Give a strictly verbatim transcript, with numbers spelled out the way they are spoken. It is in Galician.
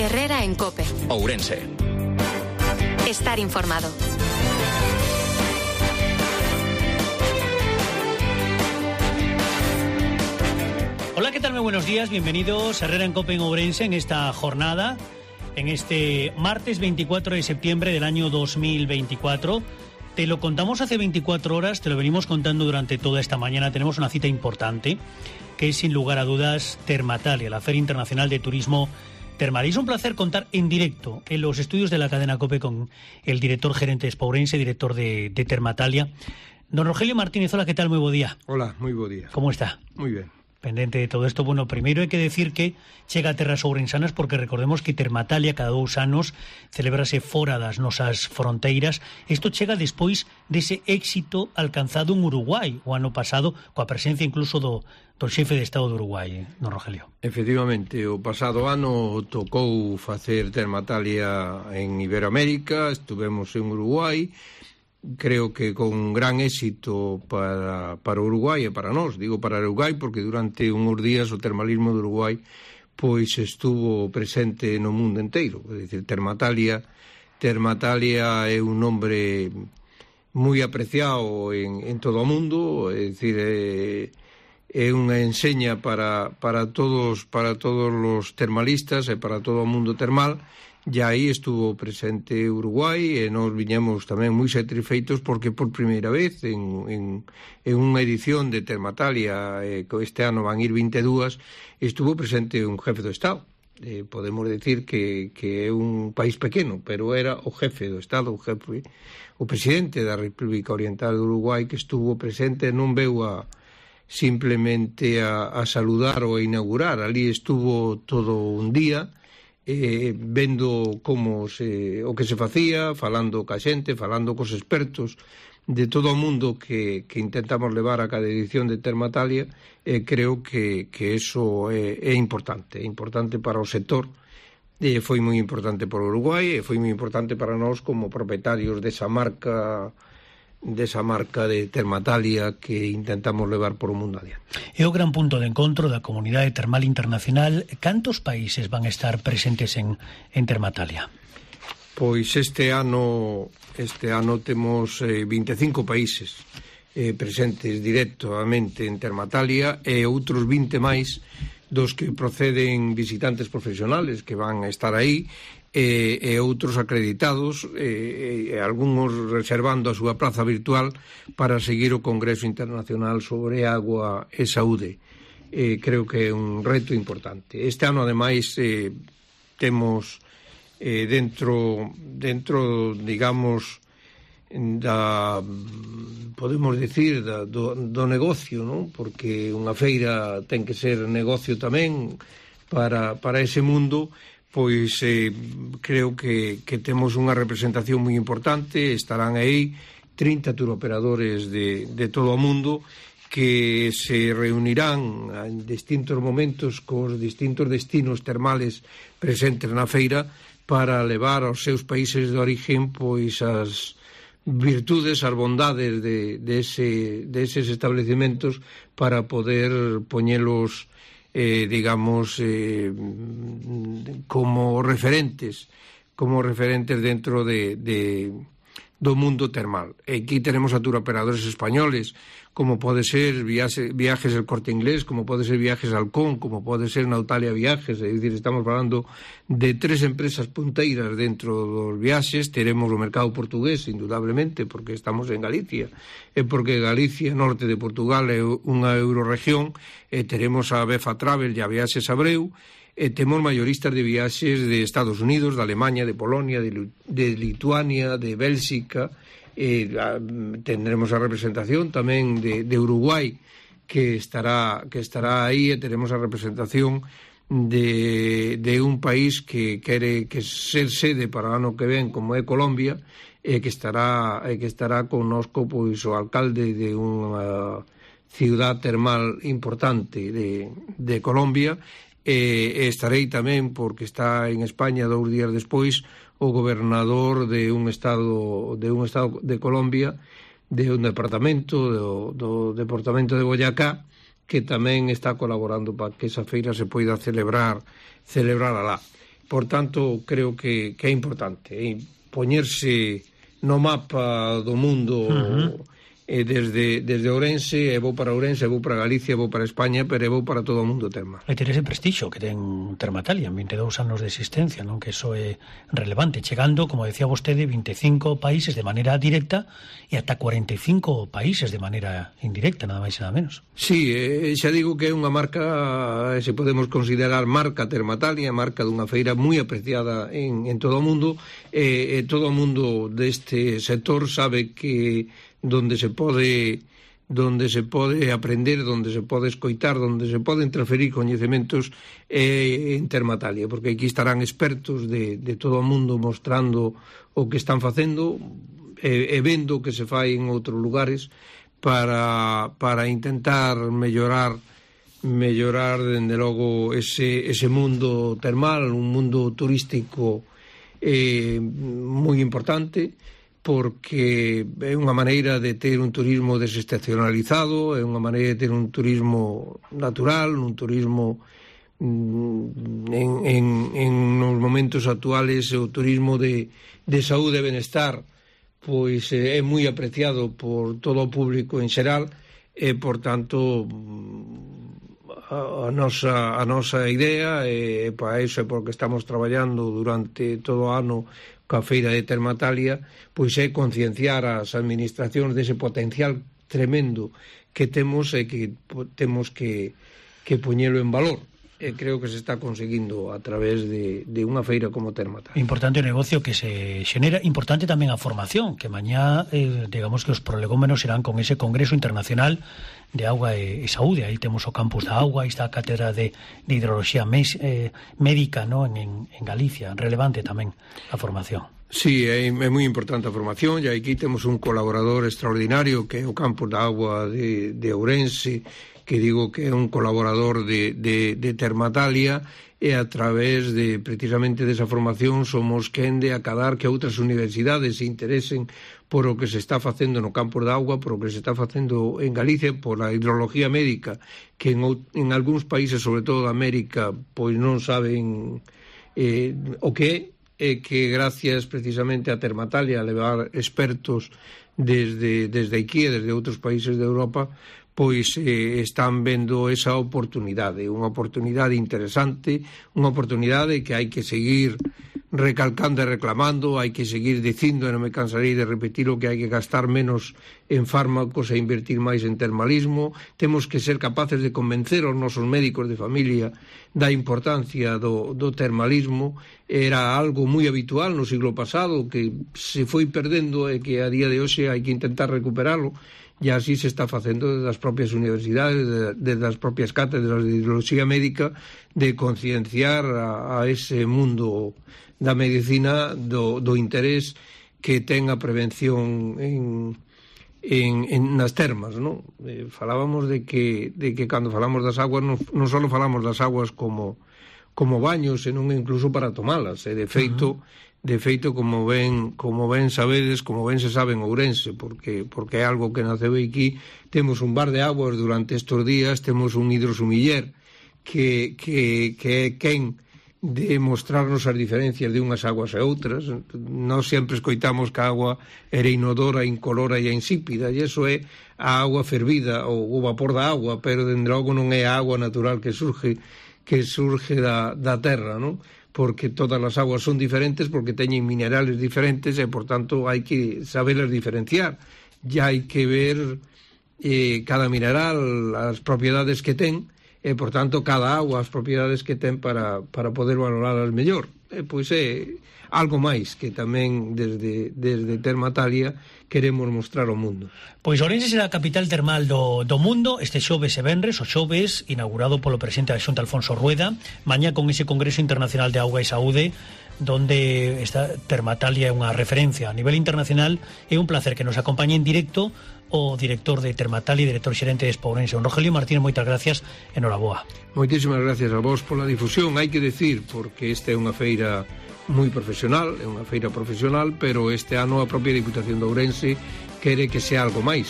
Herrera en COPE. Ourense. Estar informado. Hola, ¿qué tal? Muy buenos días, bienvenidos a Herrera en COPE en Ourense en esta jornada, en este martes veinticuatro de septiembre del año dos mil veinticuatro. Te lo contamos hace veinticuatro horas, te lo venimos contando durante toda esta mañana. Tenemos una cita importante, que es sin lugar a dudas Termatalia, la Feria Internacional de Turismo Termal. Y es un placer contar en directo en los estudios de la cadena COPE con el director gerente de Expo Ourense, director de, de Termatalia. Don Rogelio Martínez, hola, ¿qué tal? Muy buen día. Hola, muy buen día. ¿Cómo está? Muy bien. Pendente de todo esto, bueno, primeiro hai que decir que chega a terras ourensanas porque recordemos que Termatalia cada dous anos celebrase fora das nosas fronteiras. Isto chega despois dese éxito alcanzado en Uruguai o ano pasado, coa presencia incluso do, do xefe de Estado de Uruguai, don Rogelio. Efectivamente, o pasado ano tocou facer Termatalia en Iberoamérica, estuvemos en Uruguai. Creo que con gran éxito para, para Uruguai e para nós, digo para Uruguai porque durante uns días o termalismo de Uruguai pois estuvo presente no mundo inteiro. É dicir, Termatalia, Termatalia é un nombre moi apreciado en, en todo o mundo, é dicir, é, é unha enseña para, para todos para todos os termalistas e para todo o mundo termal. E aí estuvo presente Uruguai e nós viñemos tamén moi satisfeitos porque por primeira vez en, en, en unha edición de Termatalia, eh, que este ano van ir vinte e dúas, estuvo presente un jefe do Estado. Eh, podemos decir que, que é un país pequeno, pero era o jefe do Estado, o jefe, o presidente da República Oriental de Uruguai, que estuvo presente, non veu a simplemente a, a saludar ou a inaugurar, ali estuvo todo un día, Eh, vendo como se, o que se facía, falando ca xente, falando cos expertos de todo o mundo que, que intentamos levar a cada edición de Termatalia. Eh, creo que, que eso é, é importante, é importante para o sector, eh, foi moi importante para Uruguai e foi moi importante para nós como propietarios desa marca desa marca de Termatalia que intentamos levar por o mundo adiante. É o gran punto de encontro da comunidade termal internacional. Cantos países van a estar presentes en, en Termatalia? Pois este ano este ano temos eh, vinte e cinco países eh, presentes directamente en Termatalia e outros vinte máis dos que proceden visitantes profesionales que van a estar aí e, e outros acreditados e, e algúns reservando a súa praza virtual para seguir o Congreso Internacional sobre Agua e Saúde. E creo que é un reto importante. Este ano, ademais, eh, temos eh, dentro, dentro, digamos, da, podemos decir, da, do, do negocio, non? Porque unha feira ten que ser negocio tamén para, para ese mundo. Pois eh, creo que, que temos unha representación moi importante. Estarán aí trinta turoperadores de, de todo o mundo que se reunirán en distintos momentos cos distintos destinos termales presentes na feira para levar aos seus países de origen pois as virtudes, as bondades de, de, ese, de eses establecimentos para poder poñelos Eh, digamos eh, como referentes como referentes dentro de, de, do mundo termal. Aquí tenemos a turoperadores españoles como pode ser Viajes, Viajes El Corte Inglés, como pode ser Viajes Halcón, como pode ser Nautalia Viajes. É dicir, estamos falando de tres empresas punteiras dentro dos viaxes. Teremos o mercado portugués, indudablemente, porque estamos en Galicia, e porque Galicia, norte de Portugal, é unha eurorregión, e teremos a Befa Travel e a Viaxes Abreu, e temos mayoristas de viaxes de Estados Unidos, de Alemania, de Polonia, de, de Lituania, de Bélxica. Eh, tendremos a representación tamén de, de Uruguai que estará que estará aí, e teremos a representación de, de un país que quere que ser sede para o ano que ven como é Colombia, e que estará e que estará connosco pois o alcalde de unha ciudad termal importante de, de Colombia, e, e estarei tamén porque está en España dous días despois o gobernador de un estado de un estado de Colombia, de un departamento do, do departamento de Boyacá, que tamén está colaborando para que esa feira se poida celebrar celebrar alá. por tanto, creo que, que é importante eh, poñerse no mapa do mundo uh-huh. eh, desde, desde Ourense, e vou para Ourense, e vou para Galicia, e vou para España, pero e vou para todo o mundo termal. E ter ese prestixio que ten Termatalia en vinte e dous anos de existencia, non? Que iso é relevante, chegando, como decía vostede, vinte e cinco países de maneira directa e ata cuarenta e cinco países de maneira indirecta, nada máis e nada menos. Sí, eh, xa digo que é unha marca, se podemos considerar marca Termatalia, marca dunha feira moi apreciada en, en todo o mundo, e eh, todo o mundo deste sector sabe que donde se pode donde se pode aprender, donde se pode escoitar, donde se poden transferir coñecementos eh, en Termatalia, porque aquí estarán expertos de, de todo o mundo mostrando o que están facendo e, e vendo o que se fai en outros lugares para, para intentar mellorar mellorar, dende logo, ese, ese mundo termal, un mundo turístico eh, moi importante, porque é unha maneira de ter un turismo desestacionalizado, é unha maneira de ter un turismo natural, un turismo en, en, en nos momentos actuales o turismo de, de saúde e benestar pois é moi apreciado por todo o público en xeral e, por tanto, a, a, nosa, a nosa idea e para iso é porque estamos traballando durante todo o ano coa feira de Termatalia, pois é concienciar as administracións dese potencial tremendo que temos e que temos que, que poñelo en valor. E creo que se está conseguindo a través de, de unha feira como Termatalia. Importante o negocio que se xenera, importante tamén a formación, que mañá, eh, digamos que os prolegómenos serán con ese Congreso Internacional de Auga e, e Saúde. Aí temos o campus da auga, aí está a cátedra de, de hidroloxía mes, eh, médica, ¿no? en, en Galicia. Relevante tamén a formación. Sí, é, é moi importante a formación, e aquí temos un colaborador extraordinario que é o campus da auga de, de Ourense, que digo que é un colaborador de, de, de Termatalia, e a través de precisamente desa formación somos quen de acadar que outras universidades se interesen por o que se está facendo no campo da auga, por o que se está facendo en Galicia, por a hidrología médica, que en, en algúns países, sobre todo de América, pois non saben eh, o que é, e que gracias precisamente a Termatalia a levar expertos desde, desde aquí e desde outros países de Europa, pois eh, están vendo esa oportunidade, unha oportunidade interesante, unha oportunidade que hai que seguir recalcando e reclamando, hai que seguir dicindo, e non me cansarei de repetir o que hai que gastar menos en fármacos e invertir máis en termalismo. Temos que ser capaces de convencer aos nosos médicos de familia da importancia do, do termalismo. Era algo moi habitual no siglo pasado, que se foi perdendo e que a día de hoxe hai que intentar recuperalo, e así se está facendo desde as propias universidades, desde as propias cátedras de hidroloxía médica, de concienciar a, a ese mundo da medicina do, do interés que ten a prevención en, en, en nas termas, non? Eh, falábamos de que, de que cando falamos das aguas non, non só falamos das aguas como, como baños, senón incluso para tomalas, e de feito, uh-huh. de feito como ben, como ben sabedes, como ben se sabe en Ourense, porque, porque é algo que naceu aquí, temos un bar de aguas durante estes días, temos un hidrosumiller que, que, que é quen de mostrarnos as diferencias de unhas aguas e outras. Nós sempre escoitamos que a agua era inodora, incolora e insípida, e iso é a agua fervida ou o vapor da agua, pero dende logo non é a agua natural que surge que surge da, da terra, non? Porque todas as aguas son diferentes, porque teñen minerales diferentes e, por tanto, hai que saberlas diferenciar. E hai que ver eh, cada mineral, as propiedades que ten, e, por tanto, cada agua as propiedades que ten para, para poder valorarlas mellor. E, pois é algo máis que tamén desde, desde Termatalia queremos mostrar ao mundo. Pois Ourense será a capital termal do, do mundo este xoves e venres, o xoves inaugurado polo presidente da Xunta, Alfonso Rueda, mañá con ese Congreso Internacional de Auga e Saúde, donde esta Termatalia é unha referencia a nivel internacional. É un placer que nos acompañe en directo o director de Termatalia e director xerente de Expo Ourense, Rogelio Martínez. Moitas gracias, enhoraboa. Moitísimas gracias a vos pola difusión. Hai que decir, porque esta é unha feira moi profesional, é unha feira profesional, pero este ano a propia Diputación de Ourense quere que sea algo máis,